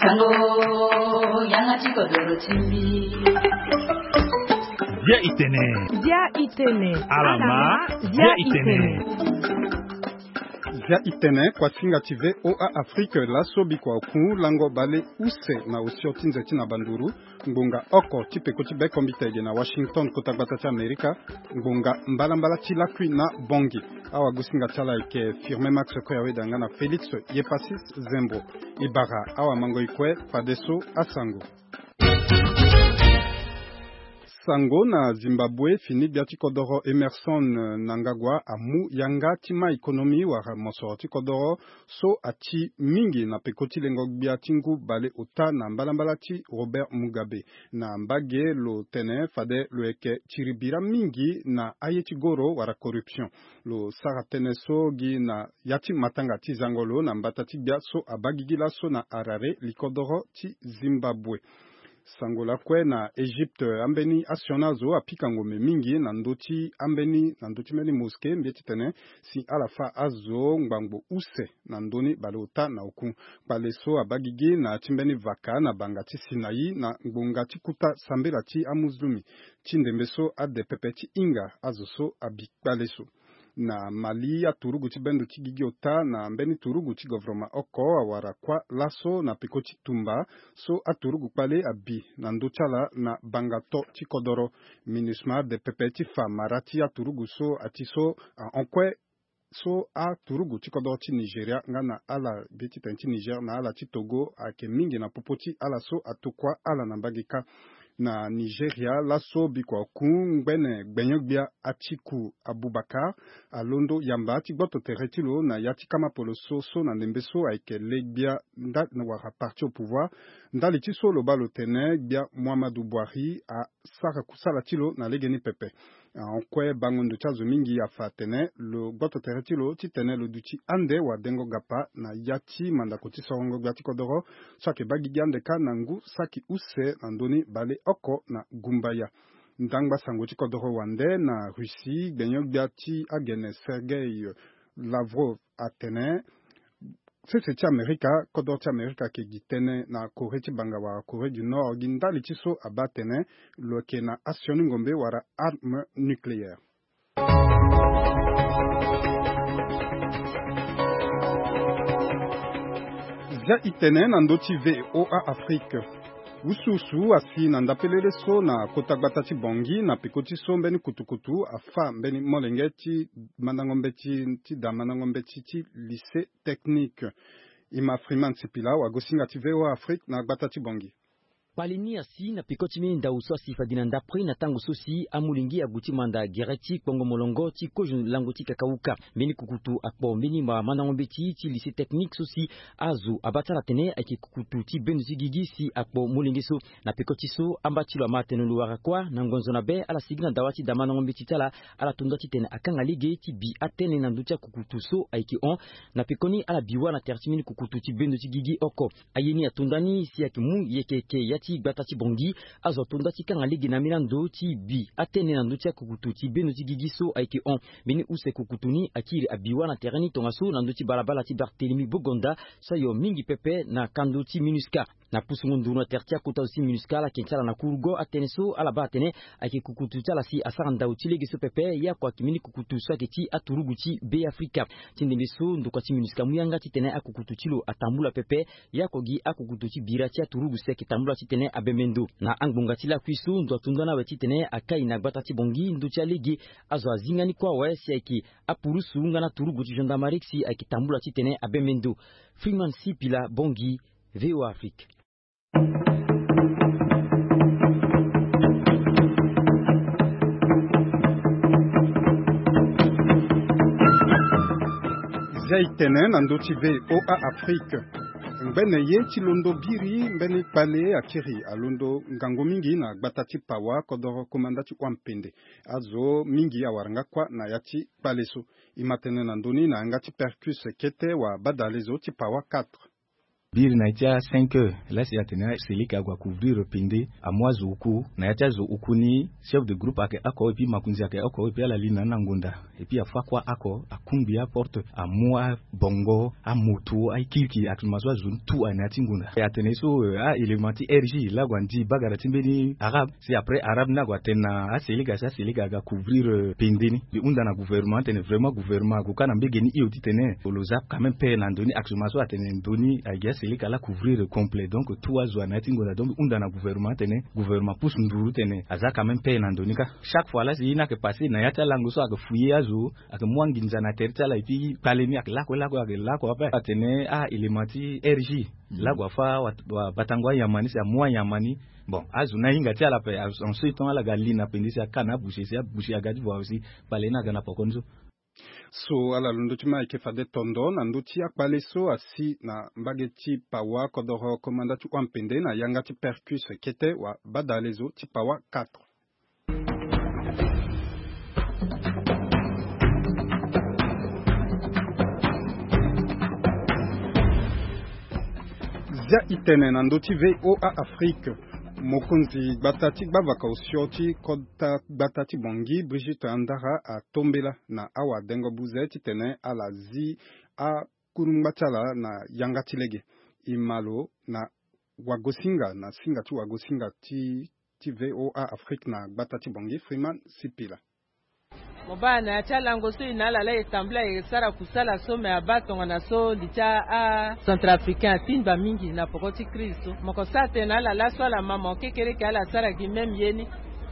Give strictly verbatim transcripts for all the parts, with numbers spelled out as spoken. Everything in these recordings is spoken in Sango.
Sango, yanga ti kodoro ti mbi. Bia itene. Bia itene. Alama. Bia itene. Bia itene, kuasinga ti VOA Afrique, laso bikua oku lango bale use na osio ti nze ti na banduru. Ngbonga oko ti peko ti bekombita ege na Washington, kota gbata ti Amerika. Ngbonga mbalambala ti lakui na Bongi. Awagosinga ti ala ayeke Firmin Max Koyaweda nga na Félix Yepasis Zembo. E bara awamango e kue fadeso asango. Sango na Zimbabwe, fini gbia ti kodoro Emerson, eh, Mnangagwa amu yanga ti ma économie wala mosoro ti kodoro so ati mingi na peko ti lengo gbia ti ngu bale ota na mbalambala ti Robert Mugabe. Na mbage lo tene fade lo yeke tiri bira mingi na aye ti goro wala corruption. Lo sara tënë so gi na ya ti matanga ti zango lo na mbata ti gbia so abaa gigi laso na Harare, likodoro ti Zimbabwe. Sango lakue na Egypte, ambeni asioni azo apika ngombe mingi na ndö ti ambeni, na ndö ti mbeni mosquée, mbi ye titene si ala fâ azo ngbangbo use na ndö ni baleota na oku. Kpale so abaa gigi na ya ti mbeni vaka na banga ti Sinaï na ngbonga ti kuta sambela ti amuzulumi. Ti ndembe so ade pepe ti hinga azo so abi kpale so. Na Mali, aturugu ti bendo ti gigi ota na mbeni turugu ti govoroma oko awara kuâ laso na peko ti tumba so aturugu kpale abi na ndö ti ala na banga to ti kodoro. MINUSMA ade pepe ti fa mara ti aturugu so ati so ahon kue so aturugu ti kodoro ti Nigeria nga na ala be ti tene ti Niger na ala ti Togo ayeke mingi na popo ti ala so atokua ala na mbage kâ. Na Nigeria, laso bikua oku ngbene gbenyo-gbia Atiku Abubakar alondo yamba ti gboto tere ti lo na ya ti kama poloso so na ndembe so ayeke le gbia nda wala parti au pouvoir. Ndali ti so lo baa lo tene gbia Muhammadu Buhari asara kusala ti lo na legeni pepe. Ahon kue bango ndo ti azo mingi afa atene lo gboto tere ti lo titene lo duti ande wadengo gapa na ya ti mandako ti sorongo gbia ti kodoro so ayeke baa gigi ande kâ na ngu saki use na ndö ni baleoko na gumbaya. Ndangba sango ti kodoro wande na Russie, gbenyo-gbia ti agene Sergei Lavrov atene sese ti Amerika, kodro ti Amerika ayeke gi tënë na Corée ti banga wala Corée du Nord gi ndali ti so abaa atene lo yeke na asioni ngombe wala arme nucléaire. Zia e tene na ndö ti VOA Afrique. Usuusu asi na ndapelele so na kota gbata ti Bangui na peko ti so mbeni kutukutu afâ mbeni molenge ti mandango mbeti ti da mandango mbeti ti lycée technique. E ma Freeman Sipila, wagosinga ti VOA Afrique na gbata ti Bangui. Kpale ni asi na peko ti mbeni ndau so asi fade na ndapre na tango so si amolenge ague ti manda gere ti kpongo molongo ti kozo lango ti kakauka. Mbeni kukutu akpo mbeni ma mandango mbeti ti lycée technique so si azo abaa ti ala atene ayeke kukutu ti bendo ti gigi si akpo molenge so. Na peko ti so amba ti lo ama atene lo wara kuâ na ngonzo na be ala sigi na dawa ti da mandango mbeti ti ala. Ala to nda titene akanga lege ti bi atënë na ndö ti akukutu so ayeke hon. Na pekoni ala bi wâ na tere ti mbeni kukutu ti bendo ti gigi oko. Aye ni ato nda ni si ayeke mu yeke yeke ya ti gbata ti Bangui. Azo ato nda ti kanga lege na ambeni ando ti bi atënë na ndö ti akukutu ti bendo ti gigi so ayeke hon. Mbeni use kukutu ni akiri abi wâ na tere ni tongaso na ndö ti balabala ti Barthélemy Bogonda so ayo mingi pepe na kando ti MINUSCA. Na pusungo nduru na tere ti akota zo ti MINUSCA ala yeke ti ala na kurugo atënë so ala baa atene ayeke kukutu ti ala si asara ndau ti lege so pepe. Ye oko ayeke mbeni kukutu so ayeke ti aturugu ti Be Afrika. Ti ndembe so ndokua ti MINUSCA amu yanga titene akukutu ti lo atambula pepe. Ye oko gi akukutu ti bira ti aturugu si ayeke tambula titene abembe ndo. Na angbonga ti lakui so ndo ato nda ni awe titene akai na gbata ti Bangui ndö ti alege. Azo azinga ni kue awe si ayeke apurusu nga na turugu ti gendarmerie si ayeke tambula titene abembe ndo. Freeman Sipila, Bangui, VOA Afrique. Zia e tene na ndö ti VOA Afrique. Ngbene ye ti londo biri mbeni kpale akiri alondo ngangu mingi na gbata ti Pawa, kodoro komanda ti Wampende. Azo mingi awara nga kuâ na ya ti kpale so. E ma tene na ndö ni na yanga ti Percus Kete wa badalezo ti Pawa quatre. Biri na ya ti a cinq heures la si atene aselika ague acouvrir pende, amu azo oku. Na ya ti azo oku ni, chef de groupe ayeke oko, et puis makonzi ayeke oko, et puis ala li na ni na ngonda. Et puis afa kua oko, akungbi aporte, amu abongo, amoto, akirikiri, actuellement so azo ni tout aye na ya ti ngonda. E atene so, euh, a-élément ti R G la ague andi bagara ti mbeni arabe. Si après arabe ni ague atene na aselika, si aselika aga couvrir, euh, pende ni. Mbi hunda na gouvernement atene vraiment gouvernement ague kâ na mbege ni hio titene lo za quand même paix na ndo ni. Actuellement so atene ndo ni ayeke gi aselika la couvrir complet. Donc tout azo aye na ya ti ngonda. Donc mbi hunda na gouvernement atene gouvernement apusu nduru titene aza quand même paix na ndo ni kâ. Chaque fois la si ye ni ayeke passé na ya ti alango so ayeke fouiller azo, ayeke mu anginza na tere ti ala, et puis kpale ni ayeke lakue lakue, ayeke lakue ape. Atene a-élément ti R G la ague afa wa, wa batango anyama ni si amu anyama ni. Bon, azo ni ahinga ti ala ape, en ce temps ala ga li na pende si aka na aboucher, si aboucher aga ti voi aussi, kpale ni aga na poko ni so. So ala londo ti ma ayeke fade tondo na ndö ti akpale so asi na mbage ti Pawa, kodoro komanda ti hua mpende na yanga ti Percus kete wa badale zo ti Pawa quatre. Zia itene na ndö ti V O A Afrique. Mokonzi gbata ti gbavaka osio ti kota gbata ti Bangui, Brigitte Andara, atombela na awadengo buze titene ala zi akurungba ti ala na yanga ti lege. E ma lo na wagosinga, na singa ti wagosinga ti, ti V O A Afrique na gbata ti Bangui, Freeman Sipila. Mo baa na ya ti alango so e na ala laa e tambula e sara kusala so me abaa tongana so li ti a-centrafricain atingba mingi na poko ti crise so. Mo ko sara tënë na ala laso ala ma mo kekereke ala sara gi même ye ni.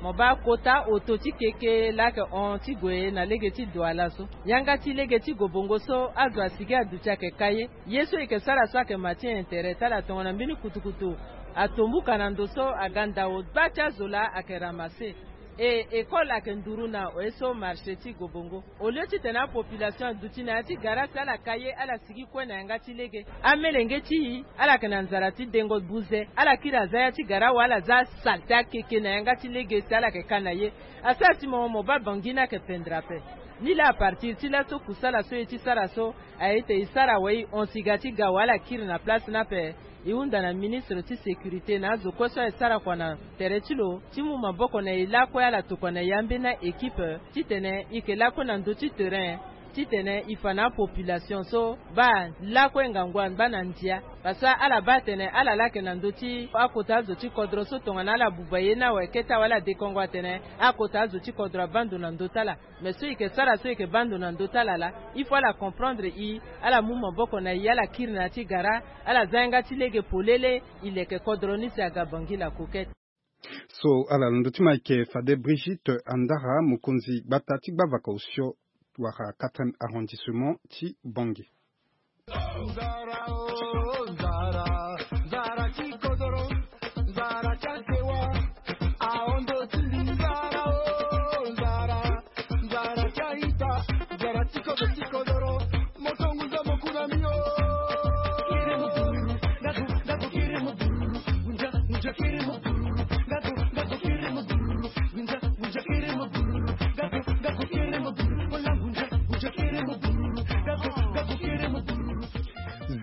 Mo baa kota oto ti keke laa ayeke hon ti gue na lege ti Douala so. Yanga ti lege ti Gobongo so azo asigi aduti ayeke ka ye. Ye so e yeke sara so ayeke ma ti intérêt ti ala tongana mbeni kutukutu atombuka na ndo so aga ndao gba ti azo laa ayeke ramasse. E école ayeke nduru na oye so marché ti Gobongo. Au lieu titene apopulation aduti na ya ti gara si ala ka ye ala sigi kue na yanga ti lege. Amelenge ti e ala yeke na nzara ti dengo buze, ala kiri aza ya ti gara wa ala za asalte akeke na yanga ti lege si ala yeke ka na ye. Asara ti mo mo baa Bangui ni ayeke pendere ape. Ni laa à partir ti laso kusala so e ti sara so aye ete e sara wa e hon si ga ti ga wa ala kiri na place ni ape. E hunda na ministre ti sécurité na azo kue so aye sara kua na tere ti lo ti mu maboko na e lakue ala tokua na e ambeni a-équipe titene e yeke lakue na ndö ti terrain titene e fa na apopulation so baa lakue ngangu angba na ndia. Parce que ala baa atene ala laa ayeke na ndö ti akota azo ti kodro so tongana ala buba ye ni awe kete awe ala dekongo atene akota azo ti kodro abaa ndo na ndö ti ala. Mais so e yeke sara so e yeke baa ndo na ndö ti ala laa, il faut ala comprendre e, ala mu maboko na e, ala kiri na ya ti gara, ala za yanga ti lege polele, e leke kodro ni si aga Bangui la Coquette. So ala londo ti ma e yeke fade Brigitte Andara, mokonzi gbata ti gbavaka osio wala quatrième arrondissement ti Bangui. Nzara, oh, nzara, nzara ti kodoro, nzara ti asewa, ahondo ti nzara, oh, nzara, nzara ti aita, nzara ti kodo ti kodoro, moto ngunza mo kuna mi, oh.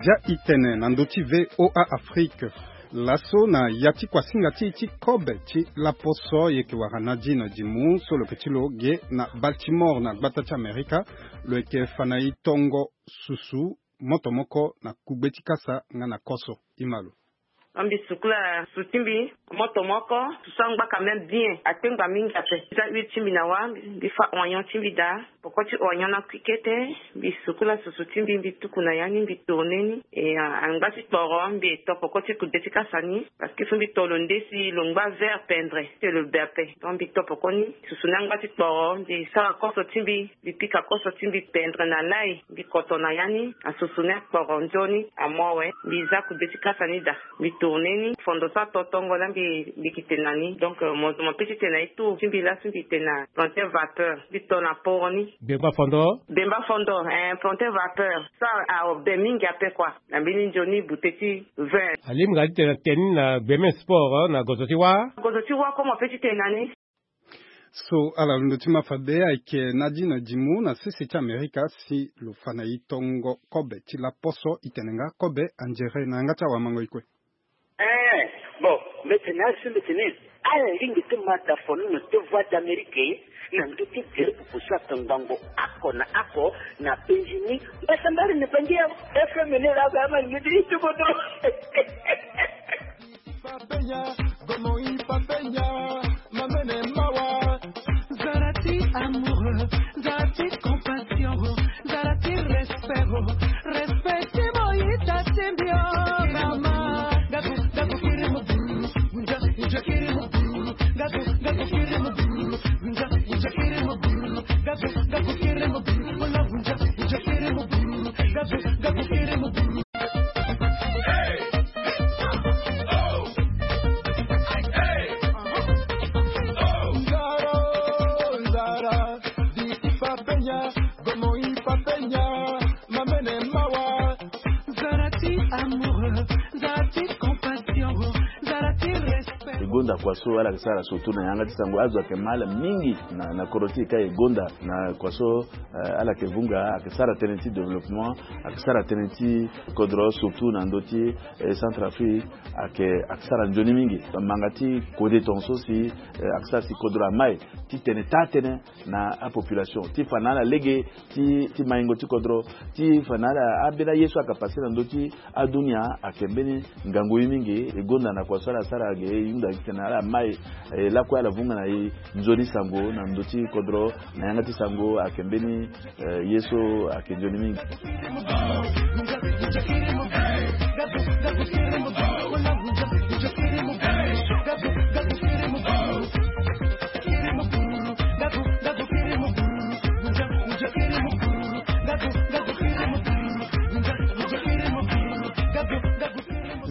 Zia itene na ndö ti V O A Afrique. Laso na ya ti kuasinga ti e ti kobe ti laposo, e yeke wara Nadine Dimu so lo yeke ti lo ge na Baltimore na gbata ti Amerika. Lo yeke fa na e tongo susu moto moko na kugbe ti kasa nga na koso. E ma lo. Mbi sukula susu ti mbi, moto moko, susu angba quand même bien, atengba mingi ape. Mbi za huile ti mbi na wâ, mbi fa oignon ti mbi daa. Poko ti oignon na kui kete, mbi sukula susu ti mbi, mbi tuku na ya ni, mbi tourner ni. E, a, angba ti kporo, mbi to poko ti kugbe ti kasa ni. Parce que faut mbi to lo nde si lo ngba vert pendre, si lo be ape. Donc mbi to poko ni, susu ni angba ti kporo, mbi sara koso ti mbi, mbi pika koso ti mbi pendre na lai, mbi koto na ya ni, asusu ni akporo nzoni, amu awe, mbi za kugbe ti kasa ni daa. Mbi tourner ni, fondo so ato tongo laa mbi, mbi yeke tene na ni. Donc, euh, mo, mo peut ti tene na e tour ti mbi laso mbi tene na planter vapeur, mbi to na poro ni. Gbengba fondo? Gbengba fondo, eh, planter vapeur. So abe mingi ape kua. Na mbeni nzoni bute ti vingt. Alingbi nga ti tene na tene ni na gbeme sport, eh, na gozo ti wâ? Gozo ti wâ kue mo peut ti tene na ni. So ala londo ti ma fabe ayeke Nadine Dimu na sese ti Amerika si lo fa na e tongo kobe ti laposo, e tene nga kobe anzere na yanga ti awamango e kue. Eh, bon, mbe tene asi mbe tene ala lingbi ti ma da fono na te Voix d'Amérique na ndö ti gere pupu so ayeke ngbangbo oko na oko na penzi ni. Mbasambari ni pangi ya F M ni la ba ma ni ti kodro. Papenya, gomo i papenya, mamene mawa. Zara ti amoureux, zara ti compassion, zara ti respect, respect ti mo i ta ti mbio. Mama, gabu, gabu kiri mo buru, unja, unja kiri mo buru, gabu, gabu kiri mo buru, unja, unja kiri mo buru, gabu, gabu kiri mo buru, unja, unja kiri mo buru, gabu, gabu kiri mo buru. E gonda kua so ala yeke sara surtout na yanga ti sango, azo ayeke ma ala mingi na, na kodro ti e ka e gonda na kua so. Eh, ala yeke vunga, ayeke sara tënë ti développement, ayeke sara tënë ti kodro, surtout na ndö ti, eh, Centrafrique, ayeke, ayeke sara nzoni mingi. Manga ti kode tongaso si, eh, ayeke sara si kodro amai ti tene taa tënë na apopulation, ti fa na ala lege ti, ti maingo ti kodro, ti fa na ala ambeni aye so ayeke pase na ndö ti adunia, ayeke mbeni ngangu ye mingi. E gonda na kua so ala sara ge, e hunda gi tene ala mai, eh, lakue ala vunga na e nzoni sango na ndö ti kodro, na yanga ti sango ayeke mbeni, eh, ye so ayeke nzoni mingi.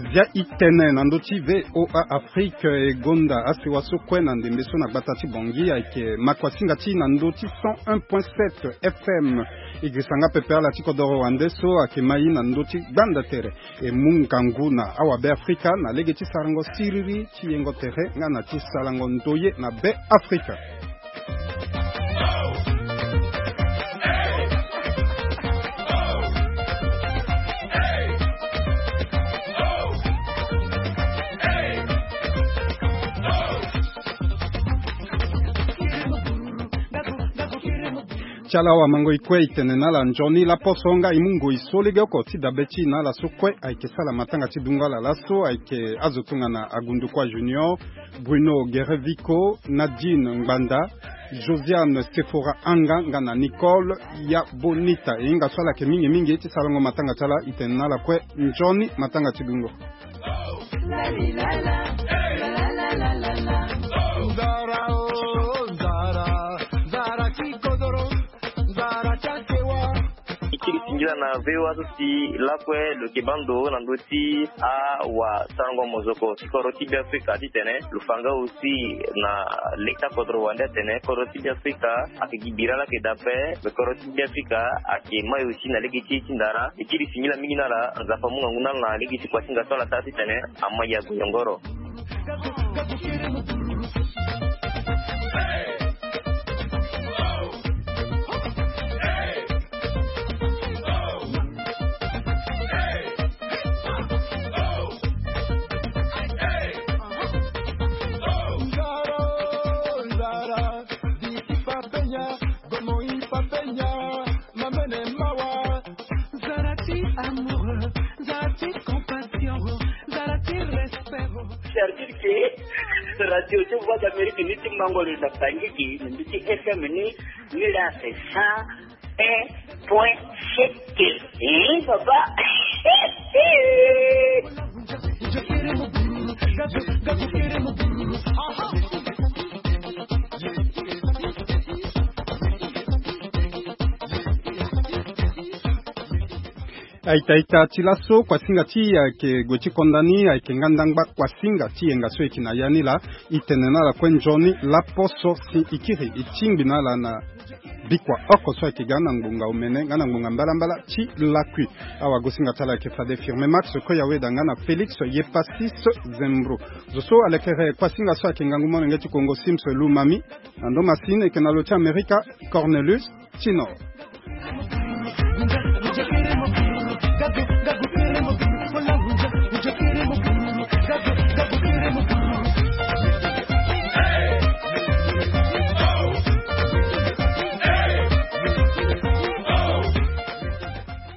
Zia i tene na ndö ti V O A Afrique, e gonda asewa so kue na ndembe so na gbata ti Bangui ayeke makuasinga ti na ndö ti cent un point sept F M. E girisa nga pepe ala ti kodoro wande so ayeke ma e na ndö ti gbanda tere. E mu ngangu na awabe Afrika na lege ti sarango siriri ti yengo tere nga na ti sarango ndoye na be Afrika. Ti ala awamango e kue e tene na ala nzoni laposo nga e mu ngoi so legeoko ti dabe ti e na ala so kue ayeke sara matanga ti dungo ala laso ayeke azo tongana Agundukua Junior, Bruno Guerre Vico, Nadine Ngbanda, Josiane Sephora Anga nga na Nicole ya Bonita. E hinga so ala yeke mingi mingi ti sarango matanga ti ala, e tene na ala kue nzoni matanga ti dungo. Nzara, oh, nzara, nzara ti kodoro, nzara ti asewa. E kiri singila na V O A so si lakue lo yeke baa ndo na ndö ti awasarango mozoko ti kodro ti Beafrika titene lo fa nga aussi na lege ti akodro wande atene kodro ti Beafrika ayeke gi bira laa ayeke daa ape, me kodro ti Beafrika ayeke mai aussi na lege ti e ti ndara. E kiri singila mingi na ala, Nzapa amu ngangu na ala na lege ti kuasinga so ala sara titene ama ya goyongoro. Nzara ti amour, nzara ti compassion, nzara ti respect. C'est-à-dire que radio ti Voix d'Amérique ni ti mango lo na Bangui gi, na mbi ti F M ni, ni la c'est cent un point sept. Eh, papa. Aita aita ti laso, kuasinga ti e ayeke gue ti konda ni ayeke nga ndangba kuasinga ti yenga so e yeke na ya ni laa. E tene na ala kue nzoni laposo si e kiri e tingbi na ala na Bikua oko so ayeke ga na ngbonga omene nga na ngbonga mbalambala ti lakui. Awagosinga ti ala ayeke fade Firme Max Koyaweda nga na Félix Yepasis Zembro. Zo so alekere kuasinga so ayeke ngangu molenge ti Kongo Sims Lumami. Na ndo masine eke na lo ti Amerika, Cornelius Tinor.